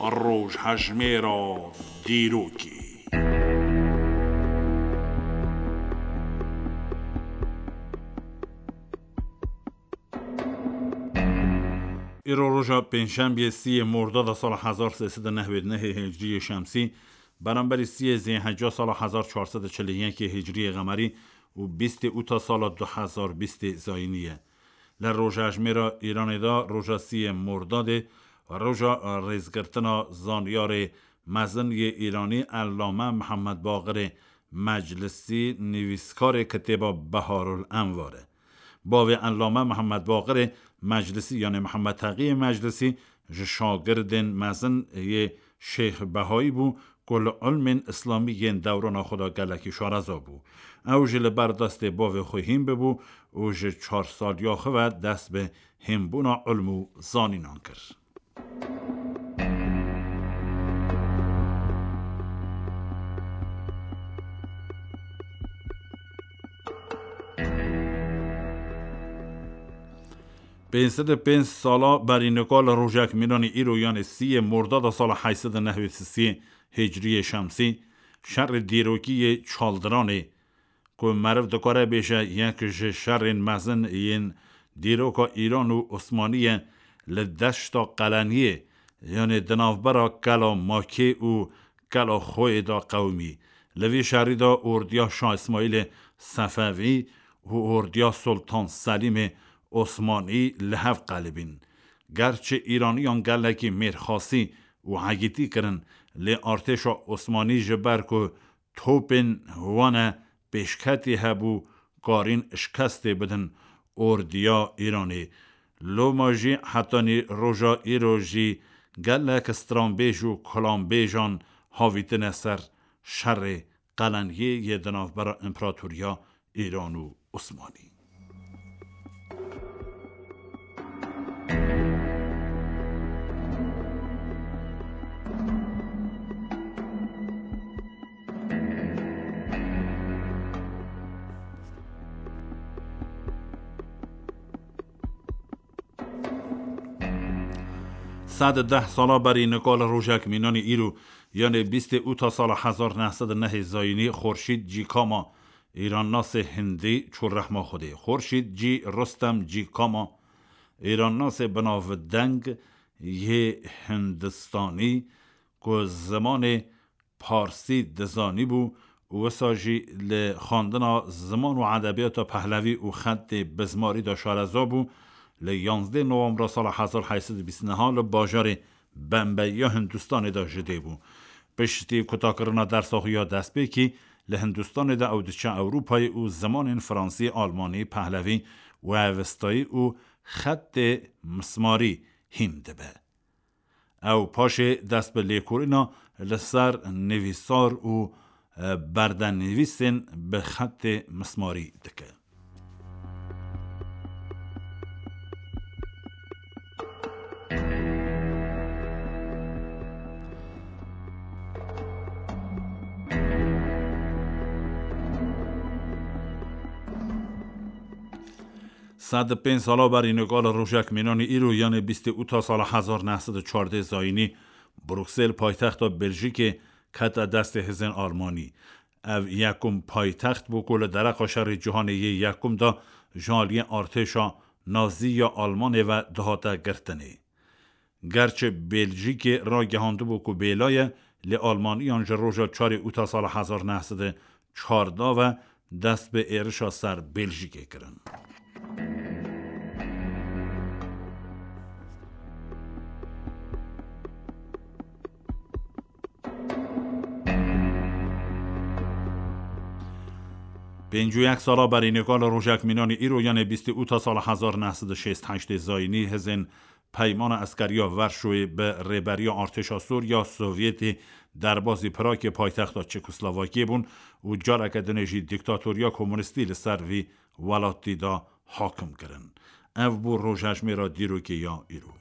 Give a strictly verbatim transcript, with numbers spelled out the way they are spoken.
Rojhejmêra dîrokê. Îro roja pêncşembiyê sîyê Mordada sala hezar sê sed û newêd nehê hicriyê şemsî, beramberî sîyê Zêheca sala hezar çar sed û çil û yekê hicriyê qemerî û bîstê ûta sala du hezar bîstê zayînî ye. Li rojejmêra Îranê de roja sîyê Mordadê roja rêzgirtina zanyarê mezin yê Îranî Ellame Mihemed Baqirê Meclisî, nivîskarê kitêba Beharul Envar e. Bavê Ellame Mihemed Baqirê Meclisî, yanê Mihemed Teqiyê Meclisî, ji şagirdên mezin yê Şêx Behayî bû ku li ilmên îslamî yên dewrana xwe de gelekî şareza bû. Ew jî li ber destê bavê xwe hîn bibû û ji çar saliya xwe ve dest bi hînbûna ilm û zanînan kir. Pênc sed û pênc sala berî nika li rojek mînanî îro, yanê sîyê Mordada sala heyt sed û newêd û sê hicriyê şemsî, şerê dîrokî yê Çaldiranê, ku meriv dikare bêje yek ji şerên mezin yên dîroka Îran û Osmanî ye, li deşta Qeleniyê, yanê di navbera Kela Makê û Kela Xoyê de qewimî. Li vî şerî de ordiya Şah Îsmaîlê Sefevî û ordiya Sultan Selîmê Osmanî li hev qelibîn. Gerçi Îraniyan gelekî mêrxasî û hegîtî kirin, lê artêşa Osmanî ji ber ku topên wane pêşketî hebû, karîn şikestê bidin ordiya Îranê. Loma jî hetanî roja îro jî gelek stranbêj û kulanbêjan havîtine ser şerê Qeleniyê yê di navbera Împeratoriya Îran û Osmanî. Sed û deh sala berî nika li rojek mînanî îro, yanê bîstê ûta sala hezar neh sed û nehê zayînî, Xurşîd Cîkama, Îrannasê hindî, çû rehma Xwedê. Xurşîd Cî Rustem Cîkama, Îrannasê binavdeng yê Hindistanî ku zimanê parsî dizanîbû û wisa jî li xwendina ziman û edebiyata Pehlevî û xetê bizmarî de şareza bû, li yanzdeh Novembra sala hezar heyt sed û bîst û neh li bajarê Bembeya Hindistanê de ji dê bû. Piştî kutakirina dersa xwe ya destpêkî li Hindistanê de ew diçe Ewropayê û zimanên Fransî, Almanî, Pehlevî û Avestayî û xetê mismarî hîn dibe. Ew paşê dest bi lêkolîna li ser nivîsar û, e, berdenivîsên bi xetê mismarî dike. Sed û pênc sala berî nika li rojek mînanî îro, yanê bîstê ûta sala hezar neh sed û çardeh zayînî, Bruksel, paytexta Beljîkê, kete destê hêzên Almanî. Ev yekum paytext bû ku li dereqa Şerê Cîhanê yê Yekum de ji aliyê artêşa Nazî ya Almanê ve dihate girtinê. Gerçi Beljîkê ragihandibû ku bêla ye, lê Almaniyan ji roja çarê ûta sala hezar neh sed û çardeh ve dest bi êrişa ser Beljîkê kirin. Pêncî û yek sala berî nika li rojek mînanî îro, yanê bîstê ûta sala hezar neh sed û şêst heştê zayînî, hêzên Peymana Eskeriya Verşoyê bi rêberiya artêşa Sûriya Sovyetê derbazî Pragê, paytexta Çekoslovakiyê, bûn û careke dinê jî dîktatoriya komunîstî li ser vî welatî de hakim kirin. Ev bû rojhejmêra dîrokê ya îro.